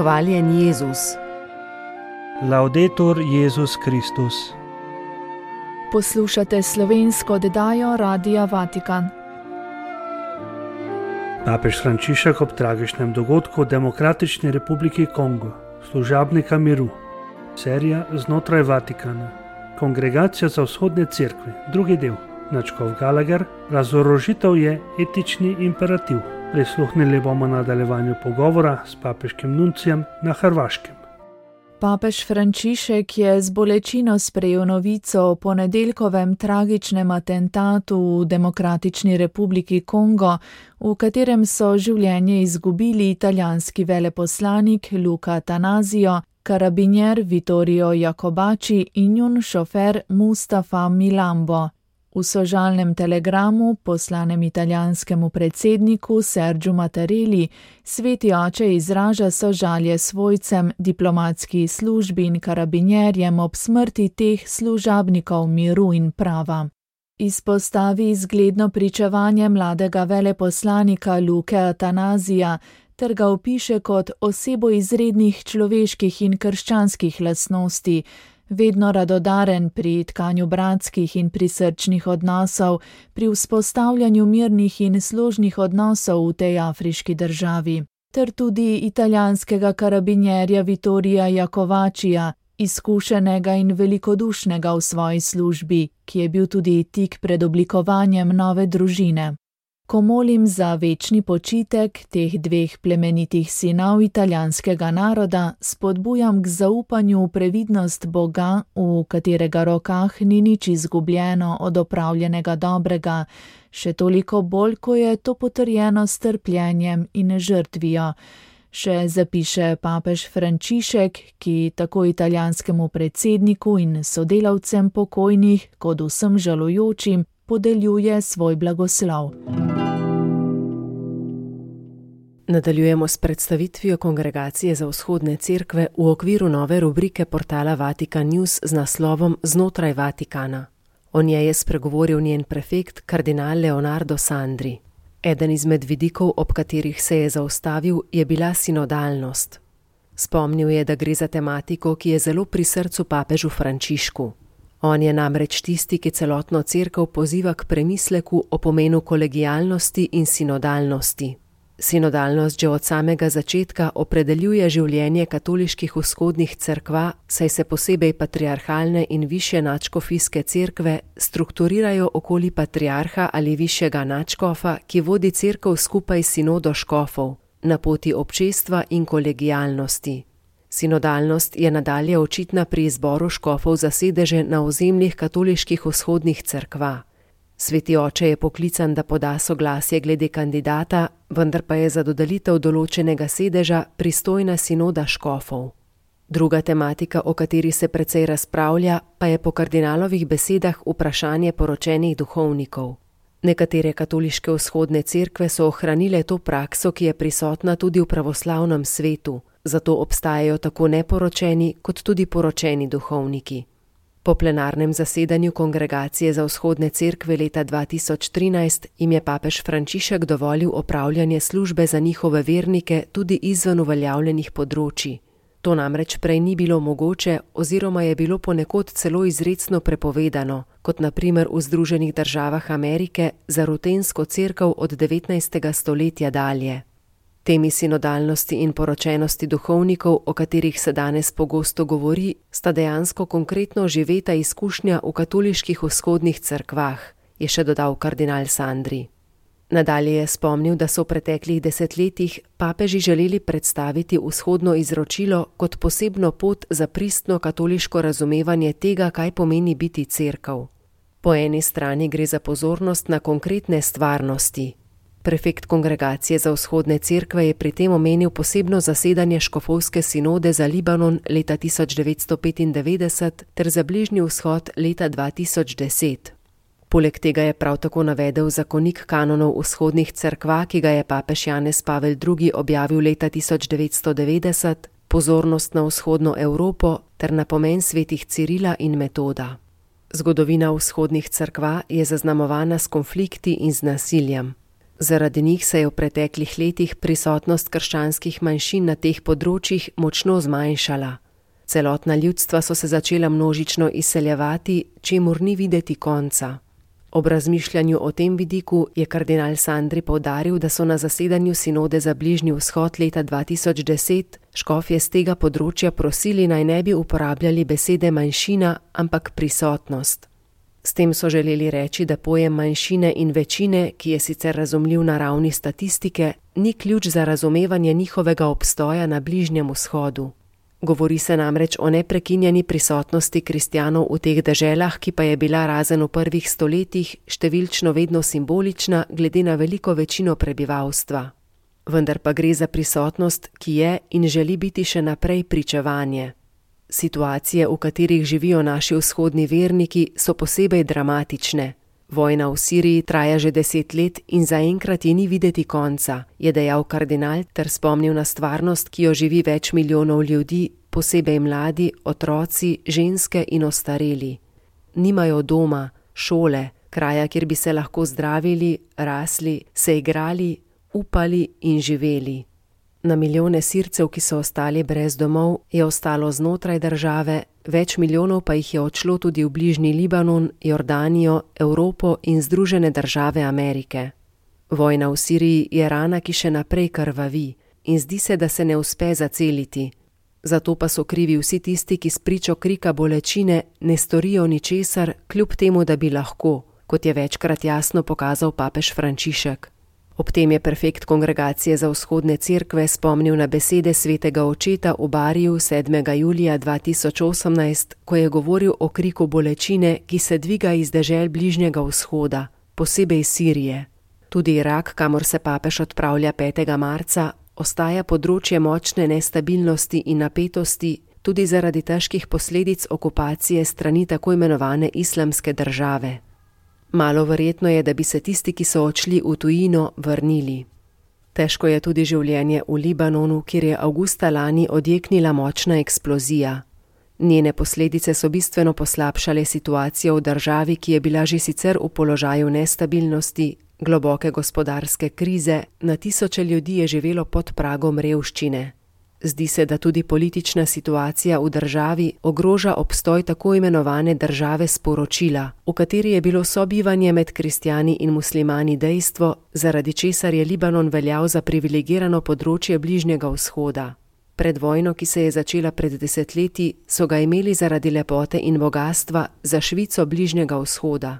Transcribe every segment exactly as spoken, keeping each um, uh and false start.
Hvaljen Jezus. Laudetur Jezus Kristus. Poslušate slovensko oddajo Radia Vatikan. Papež Frančišek ob tragičnem dogodku v Demokratični republiki Kongo, služabnika miru. Serija znotraj Vatikana. Kongregacija za vzhodne cerkve, drugi del. Nadškof Gallagher, razorožitev je etični imperativ. Prisluhnili bomo nadaljevanju pogovora s papeškim nuncijem na Hrvaškem. Papež Frančišek je z bolečino sprejel novico o ponedeljkovem tragičnem atentatu v Demokratični republiki Kongo, v katerem so življenje izgubili italijanski veleposlanik Luca Attanasio, karabinjer Vittorio Iacobacci in njun šofer Mustafa Milambo. V sožalnem telegramu, poslanem italijanskemu predsedniku Sergiu Mattarelli, sveti oče izraža sožalje svojcem, diplomatski službi in karabinjerjem ob smrti teh služabnikov miru in prava. Izpostavi zgledno pričevanje mladega veleposlanika Luke Attanasija ter ga opiše kot osebo izrednih človeških in krščanskih lastnosti, vedno radodaren pri tkanju bratskih in prisrčnih odnosov, pri vzpostavljanju mirnih in složnih odnosov v tej afriški državi, ter tudi italijanskega karabinjerja Vittorija Iacobaccija, izkušenega in velikodušnega v svoji službi, ki je bil tudi tik pred oblikovanjem nove družine. Ko molim za večni počitek teh dveh plemenitih sinov italijanskega naroda, spodbujam k zaupanju v previdnost Boga, v katerega rokah ni nič izgubljeno od opravljenega dobrega, še toliko bolj, ko je to potrjeno s trpljenjem in žrtvijo. Še zapiše papež Frančišek, ki tako italijanskemu predsedniku in sodelavcem pokojnih, kot vsem žalujočim, podeljuje svoj blagoslov. Nadaljujemo s predstavitvijo Kongregacije za vzhodne cerkve v okviru nove rubrike portala Vatikan News z naslovom Znotraj Vatikana. O njej je spregovoril njen prefekt kardinal Leonardo Sandri. Eden izmed vidikov, ob katerih se je zaustavil, je bila sinodalnost. Spomnil je, da gre za tematiko, ki je zelo pri srcu papežu Frančišku. On je namreč tisti, ki celotno cerkev poziva k premisleku o pomenu kolegialnosti in sinodalnosti. Sinodalnost že od samega začetka opredeljuje življenje katoliških vzhodnih cerkva, saj se posebej patriarhalne in višje nadškofijske cerkve strukturirajo okoli patriarha ali višjega nadškofa, ki vodi cerkev skupaj s sinodo škofov, na poti občestva in kolegialnosti. Sinodalnost je nadalje očitna pri izboru škofov za sedeže na ozemljih katoliških vzhodnih cerkva. Sveti oče je poklican, da poda soglasje glede kandidata, vendar pa je za dodelitev določenega sedeža pristojna sinoda škofov. Druga tematika, o kateri se precej razpravlja, pa je po kardinalovih besedah vprašanje poročenih duhovnikov. Nekatere katoliške vzhodne cerkve so ohranile to prakso, ki je prisotna tudi v pravoslavnem svetu, zato obstajajo tako neporočeni kot tudi poročeni duhovniki. Po plenarnem zasedanju Kongregacije za vzhodne cerkve leta dva tisoč trinajst jim je papež Frančišek dovolil opravljanje službe za njihove vernike tudi izven uveljavljenih področij. To namreč prej ni bilo mogoče oziroma je bilo ponekod celo izrecno prepovedano, kot na primer v Združenih državah Amerike za rutensko cerkev od devetnajstega stoletja dalje. Temi sinodalnosti in poročenosti duhovnikov, o katerih se danes pogosto govori, sta dejansko konkretno živeta izkušnja v katoliških vzhodnih cerkvah, je še dodal kardinal Sandri. Nadalje je spomnil, da so v preteklih desetletjih papeži želeli predstaviti vzhodno izročilo kot posebno pot za pristno katoliško razumevanje tega, kaj pomeni biti cerkev. Po eni strani gre za pozornost na konkretne stvarnosti. Prefekt Kongregacije za vzhodne cerkve je pri tem omenil posebno zasedanje škofovske sinode za Libanon leta tisoč devetsto petindevetdeset ter za Bližnji vzhod leta dva tisoč deset. Poleg tega je prav tako navedel zakonik kanonov vzhodnih cerkva, ki ga je papež Janez Pavel drugi objavil leta tisoč devetsto devetdeset, pozornost na vzhodno Evropo ter na pomen svetih Cirila in Metoda. Zgodovina vzhodnih cerkva je zaznamovana s konflikti in z nasiljem. Zaradi njih se je v preteklih letih prisotnost krščanskih manjšin na teh področjih močno zmanjšala. Celotna ljudstva so se začela množično izseljevati, čemur ni videti konca. Ob razmišljanju o tem vidiku je kardinal Sandri poudaril, da so na zasedanju sinode za Bližnji vzhod leta dva tisoč deset škofje z tega področja prosili, naj ne bi uporabljali besede manjšina, ampak prisotnost. S tem so želeli reči, da pojem manjšine in večine, ki je sicer razumljiv na ravni statistike, ni ključ za razumevanje njihovega obstoja na Bližnjem vzhodu. Govori se namreč o neprekinjeni prisotnosti kristjanov v teh deželah, ki pa je bila razen v prvih stoletjih številčno vedno simbolična glede na veliko večino prebivalstva. Vendar pa gre za prisotnost, ki je in želi biti še naprej pričevanje. Situacije, v katerih živijo naši vzhodni verniki, so posebej dramatične. Vojna v Siriji traja že deset let in zaenkrat ji ni videti konca, je dejal kardinal ter spomnil na stvarnost, ki jo živi več milijonov ljudi, posebej mladi, otroci, ženske in ostareli. Nimajo doma, šole, kraja, kjer bi se lahko zdravili, rasli, se igrali, upali in živeli. Na milijone Sircev, ki so ostali brez domov, je ostalo znotraj države, več milijonov pa jih je odšlo tudi v bližnji Libanon, Jordanijo, Evropo in Združene države Amerike. Vojna v Siriji je rana, ki še naprej krvavi in zdi se, da se ne uspe zaceliti. Zato pa so krivi vsi tisti, ki spričo krika bolečine ne storijo ničesar, kljub temu, da bi lahko, kot je večkrat jasno pokazal papež Frančišek. Ob tem je prefekt Kongregacije za vzhodne cerkve spomnil na besede svetega očeta v Bariju sedmega julija dva tisoč osemnajst, ko je govoril o kriku bolečine, ki se dviga iz dežel Bližnjega vzhoda, posebej Sirije. Tudi Irak, kamor se papež odpravlja petega marca, ostaja področje močne nestabilnosti in napetosti, tudi zaradi težkih posledic okupacije strani tako imenovane islamske države. Malo verjetno je, da bi se tisti, ki so odšli v tujino, vrnili. Težko je tudi življenje v Libanonu, kjer je avgusta lani odjeknila močna eksplozija. Njene posledice so bistveno poslabšale situacijo v državi, ki je bila že sicer v položaju nestabilnosti, globoke gospodarske krize, na tisoče ljudi je živelo pod pragom revščine. Zdi se, da tudi politična situacija v državi ogroža obstoj tako imenovane države sporočila, v kateri je bilo sobivanje med kristjani in muslimani dejstvo, zaradi česar je Libanon veljal za privilegirano področje Bližnjega vzhoda. Pred vojno, ki se je začela pred desetletji, so ga imeli zaradi lepote in bogastva za Švico Bližnjega vzhoda.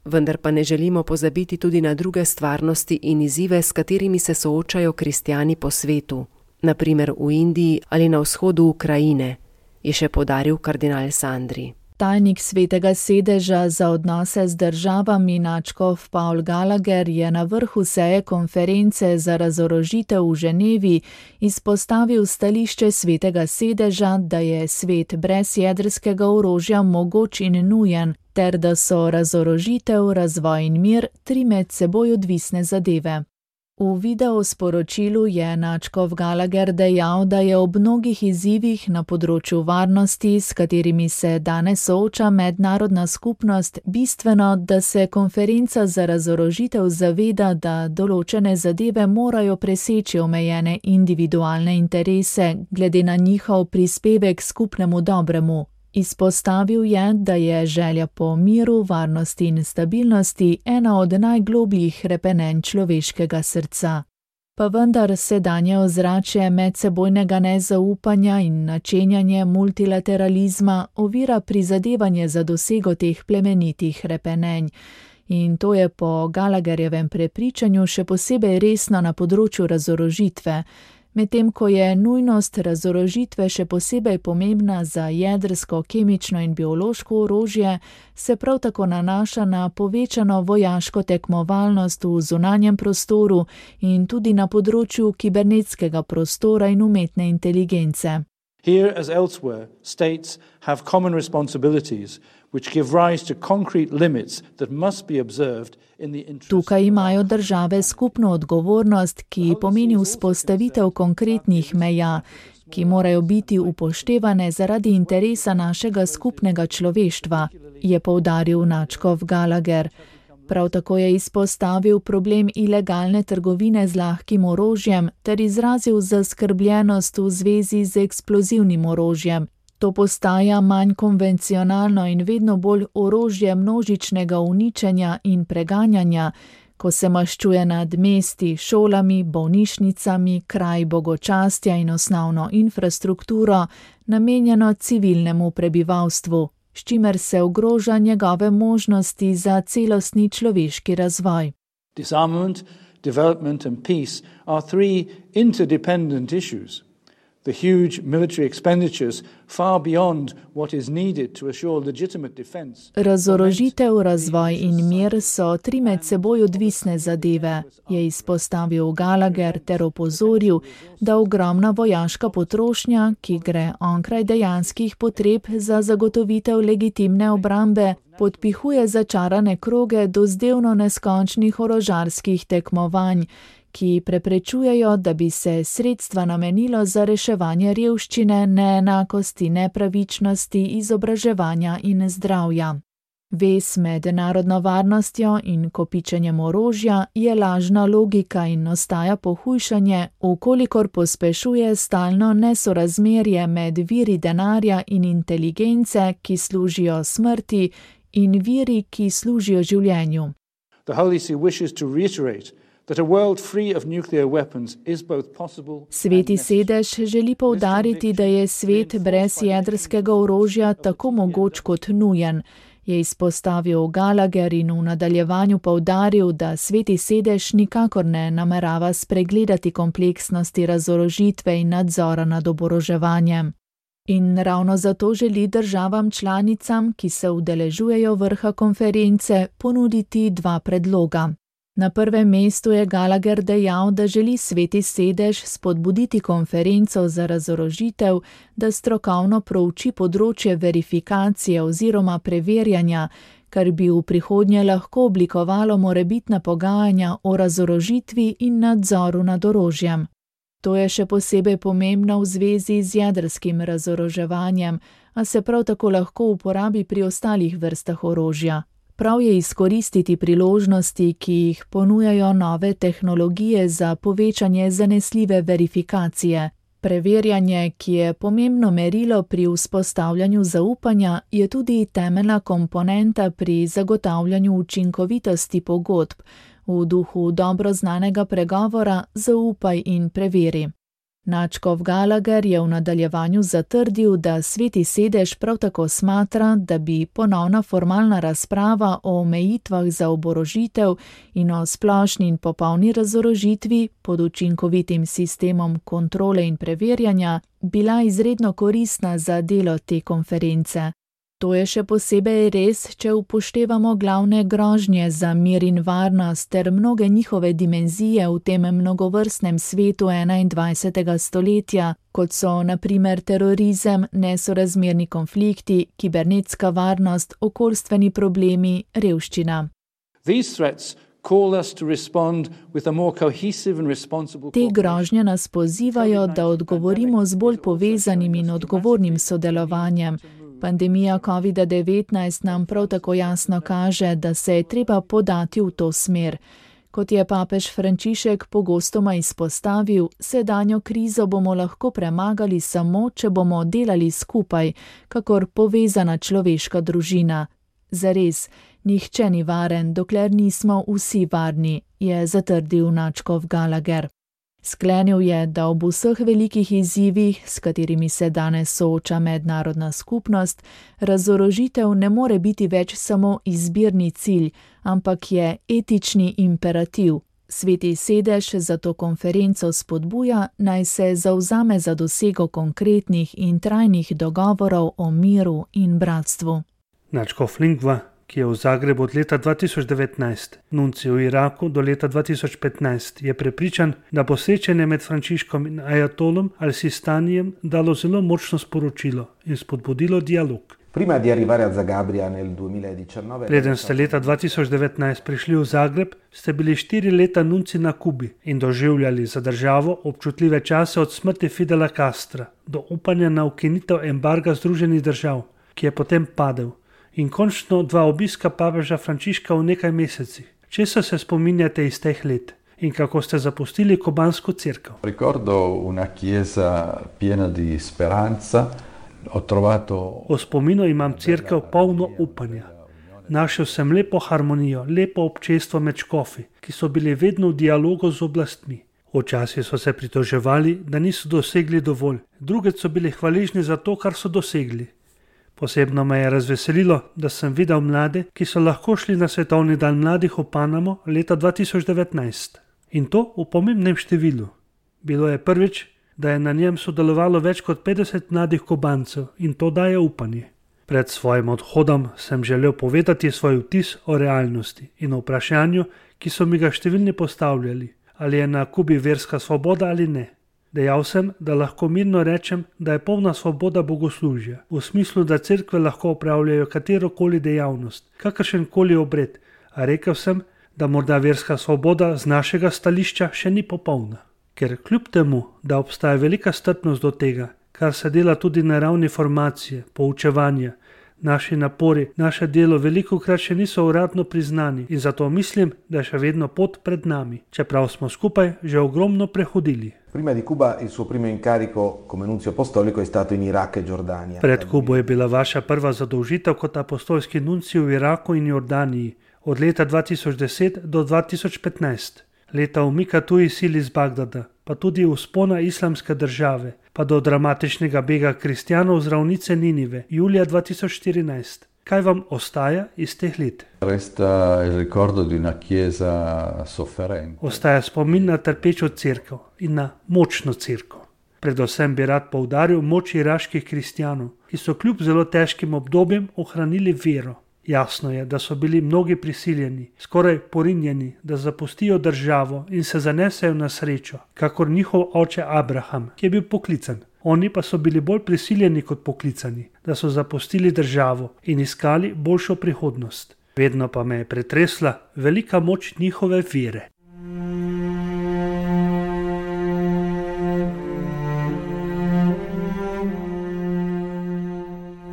Vendar pa ne želimo pozabiti tudi na druge stvarnosti in izzive, s katerimi se soočajo kristjani po svetu. Na primer v Indiji ali na vzhodu Ukrajine, je še poudaril kardinal Sandri. Tajnik Svetega sedeža za odnose z državami nadškof Paul Gallagher je na vrhu seje konference za razorožitev v Ženevi izpostavil stališče Svetega sedeža, da je svet brez jedrskega orožja mogoč in nujen, ter da so razorožitev, razvoj in mir tri med seboj odvisne zadeve. V videosporočilu je nadškof Gallagher dejal, da je ob mnogih izzivih na področju varnosti, s katerimi se danes sooča mednarodna skupnost, bistveno, da se konferenca za razorožitev zaveda, da določene zadeve morajo preseči omejene individualne interese, glede na njihov prispevek skupnemu dobremu. Izpostavil je, da je želja po miru, varnosti in stabilnosti ena od najglobljih hrepenenj človeškega srca. Pa vendar sedanje ozračje medsebojnega nezaupanja in načenjanje multilateralizma ovira prizadevanje za dosego teh plemenitih hrepenenj. In to je po Gallagherjevem prepričanju še posebej resno na področju razorožitve, medtem ko je nujnost razorožitve še posebej pomembna za jedrsko, kemično in biološko orožje, se prav tako nanaša na povečano vojaško tekmovalnost v zunanjem prostoru in tudi na področju kibernetskega prostora in umetne inteligence. Here as elsewhere, states have common responsibilities which give rise to concrete limits that must be observed in the interest. Tukaj imajo države skupno odgovornost, ki pomeni vzpostavitev konkretnih meja, ki morajo biti upoštevane zaradi interesa našega skupnega človeštva, je poudaril nadškof Gallagher. Prav tako je izpostavil problem ilegalne trgovine z lahkim orožjem ter izrazil zaskrbljenost v zvezi z eksplozivnim orožjem. To postaja manj konvencionalno in vedno bolj orožje množičnega uničenja in preganjanja, ko se maščuje nad mesti, šolami, bolnišnicami, kraji bogočastja in osnovno infrastrukturo, namenjeno civilnemu prebivalstvu, s čimer se ogroža njegove možnosti za celostni človeški razvoj. Disarmament, development and peace are three interdependent issues. The huge military expenditures far beyond what is needed to assure legitimate defense. Razorožitev, razvoj in mir so tri med seboj odvisne zadeve, je izpostavil Gallagher ter opozoril, da ogromna vojaška potrošnja, ki gre onkraj dejanskih potreb za zagotovitev legitimne obrambe, podpihuje začarane kroge dozdevno neskončnih orožarskih tekmovanj, ki preprečujejo, da bi se sredstva namenilo za reševanje revščine, neenakosti, nepravičnosti, izobraževanja in zdravja. Vez med narodno varnostjo in kopičenjem orožja je lažna logika in ostaja pohujšanje, ukolikor pospešuje stalno nesorazmerje med viri denarja in inteligence, ki služijo smrti, in viri, ki služijo življenju. The Holy See wishes to reiterate that a world free of nuclear weapons is both possible. Sveti sedež želi poudariti, da je svet brez jedrskega orožja tako mogoč kot nujen, je izpostavil Gallagher in v nadaljevanju poudaril, da Sveti sedež nikakor ne namerava spregledati kompleksnosti razorožitve in nadzora nad oboroževanjem. In ravno zato želi državam članicam, ki se udeležujejo vrha konference, ponuditi dva predloga. Na prvem mestu je Gallagher dejal, da želi Sveti sedež spodbuditi konferenco za razorožitev, da strokovno prouči področje verifikacije oziroma preverjanja, kar bi v prihodnje lahko oblikovalo morebitna pogajanja o razorožitvi in nadzoru nad orožjem. To je še posebej pomembno v zvezi z jedrskim razoroževanjem, a se prav tako lahko uporabi pri ostalih vrstah orožja. Prav je izkoristiti priložnosti, ki jih ponujajo nove tehnologije za povečanje zanesljive verifikacije. Preverjanje, ki je pomembno merilo pri vzpostavljanju zaupanja, je tudi temeljna komponenta pri zagotavljanju učinkovitosti pogodb, v duhu dobro znanega pregovora zaupaj in preveri. Nadškof Gallagher je v nadaljevanju zatrdil, da Sveti sedež prav tako smatra, da bi ponovna formalna razprava o omejitvah za oborožitev in o splošni in popolni razorožitvi pod učinkovitim sistemom kontrole in preverjanja bila izredno koristna za delo te konference. To je še posebej res, če upoštevamo glavne grožnje za mir in varnost ter mnoge njihove dimenzije v tem mnogovrstnem svetu enaindvajsetega stoletja, kot so na primer terorizem, nesorazmerni konflikti, kibernetska varnost, okoljstveni problemi, revščina. These threats call us to respond with a more cohesive and responsible. Te grožnje nas pozivajo, da odgovorimo z bolj povezanim in odgovornim sodelovanjem. Pandemija covid devetnajst nam prav tako jasno kaže, da se je treba podati v to smer. Kot je papež Frančišek pogostoma izpostavil, sedanjo krizo bomo lahko premagali samo, če bomo delali skupaj, kakor povezana človeška družina. Zares, nihče ni varen, dokler nismo vsi varni, je zatrdil nadškof Gallagher. Sklenil je, da ob vseh velikih izzivih, s katerimi se danes sooča mednarodna skupnost, razorožitev ne more biti več samo izbirni cilj, ampak je etični imperativ. Sveti sedež zato konferenco spodbuja, naj se zavzame za dosego konkretnih in trajnih dogovorov o miru in bratstvu. Nadškof Lingua, ki je v Zagrebu od leta dva tisoč devetnajst, nuncij v Iraku do leta dva tisoč petnajst, je prepričan, da bo srečanje med Frančiškom in Ajatolom al-Sistanijem dalo zelo močno sporočilo in spodbudilo dialog. Prima di arrivare a Zagabria nel duemiladiciannove. Preden ste leta dva tisoč devetnajst prišli v Zagreb, ste bili štiri leta nunci na Kubi in doživljali za državo občutljive čase od smrti Fidela Castra do upanja na ukinitev embarga Združenih držav, ki je potem padel, In končno dva obiska papeža Frančiška v nekaj mesecih. Česa se spominjate iz teh let in kako ste zapustili kubansko cerkev? Ricordo una chiesa piena di speranza. Ho trovato... V spominu imam cerkev polno upanja. Našel sem lepo harmonijo, lepo občestvo med škofi, ki so bili vedno v dialogu z oblastmi. Včasih so se pritoževali, da niso dosegli dovolj, drugič so bili hvaležni za to, kar so dosegli. Posebno me je razveselilo, da sem videl mlade, ki so lahko šli na svetovni dan mladih v Panamo leta dva tisoč devetnajst. In to v pomembnem številu. Bilo je prvič, da je na njem sodelovalo več kot petdeset mladih Kubancev in to daje upanje. Pred svojim odhodom sem želel povedati svoj vtis o realnosti in o vprašanju, ki so mi ga številni postavljali, ali je na Kubi verska svoboda ali ne. Dejal sem, da lahko mirno rečem, da je polna svoboda bogoslužja, v smislu, da cerkve lahko opravljajo katerokoli dejavnost, kakršenkoli obred, a rekel sem, da morda verska svoboda z našega stališča še ni popolna. Ker kljub temu, da obstaja velika strpnost do tega, kar se dela tudi na ravni formacije, poučevanja, naši napori, naše delo velikokrat še niso uradno priznani in zato mislim, da je še vedno pot pred nami, čeprav smo skupaj že ogromno prehodili. Prima di Cuba il suo primo incarico come nunzio apostolico è stato in Iraq e Giordania. Pred Kubo je bila vaša prva zadolžitev kot apostolski nuncij v Iraku in Jordaniji od leta dva tisoč deset do dva tisoč petnajst. Leta umika tujih sil iz Bagdada, pa tudi vzpona islamske države, pa do dramatičnega bega kristjanov z ravnice Ninive, julija dva tisoč štirinajst. Kaj vam ostaja iz teh let? Resta il ricordo di una chiesa sofferente. Ostaja spomin na trpečo cerkev in na močno cerkev. Predvsem bi rad poudaril moč iraških kristjanov, ki so kljub zelo težkim obdobjem ohranili vero. Jasno je, da so bili mnogi prisiljeni, skoraj porinjeni, da zapustijo državo in se zanesejo na srečo, kakor njihov oče Abraham, ki je bil poklican. Oni pa so bili bolj prisiljeni kot poklicani, da so zapustili državo in iskali boljšo prihodnost. Vedno pa me je pretresla velika moč njihove vere.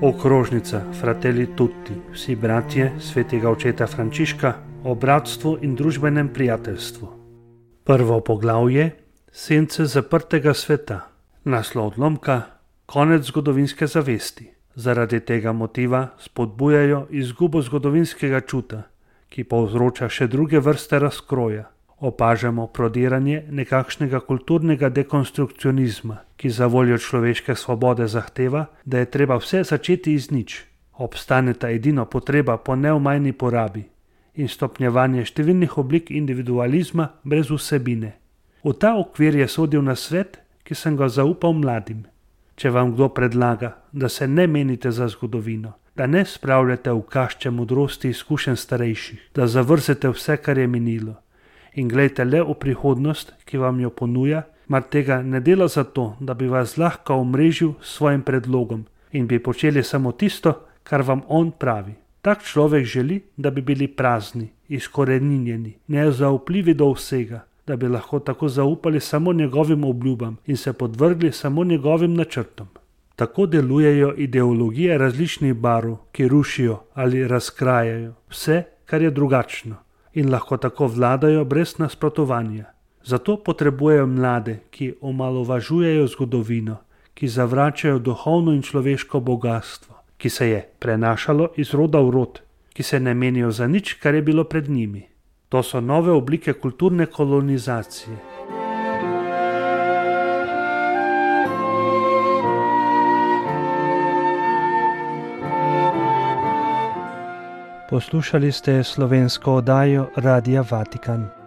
Okrožnica Fratelli Tutti, vsi bratje svetega očeta Frančiška o bratstvu in družbenem prijateljstvu. Prvo poglavje, sence zaprtega sveta, naslov odlomka, konec zgodovinske zavesti. Zaradi tega motiva spodbujajo izgubo zgodovinskega čuta, ki povzroča še druge vrste razkroja. Opažamo prodiranje nekakšnega kulturnega dekonstrukcionizma, ki za voljo človeške svobode zahteva, da je treba vse začeti iz nič. Obstaneta edino potreba po neomajni porabi in stopnjevanje številnih oblik individualizma brez vsebine. V ta okvir je sodil na svet, ki sem ga zaupal mladim. Če vam kdo predlaga, da se ne menite za zgodovino, da ne spravljate v kašče modrosti izkušenj starejših, da zavrzete vse, kar je minilo, in glejte le v prihodnost, ki vam jo ponuja, mar tega ne dela zato, da bi vas lahko omrežil s svojim predlogom in bi počeli samo tisto, kar vam on pravi. Tak človek želi, da bi bili prazni, izkoreninjeni, nezaupljivi do vsega, da bi lahko tako zaupali samo njegovim obljubam in se podvrgli samo njegovim načrtom. Tako delujejo ideologije različnih barv, ki rušijo ali razkrajajo vse, kar je drugačno, in lahko tako vladajo brez nasprotovanja. Zato potrebujejo mlade, ki omalovažujejo zgodovino, ki zavračajo duhovno in človeško bogastvo, ki se je prenašalo iz roda v rod, ki se ne menijo za nič, kar je bilo pred njimi. To so nove oblike kulturne kolonizacije. Poslušali ste slovensko oddajo Radia Vatikan.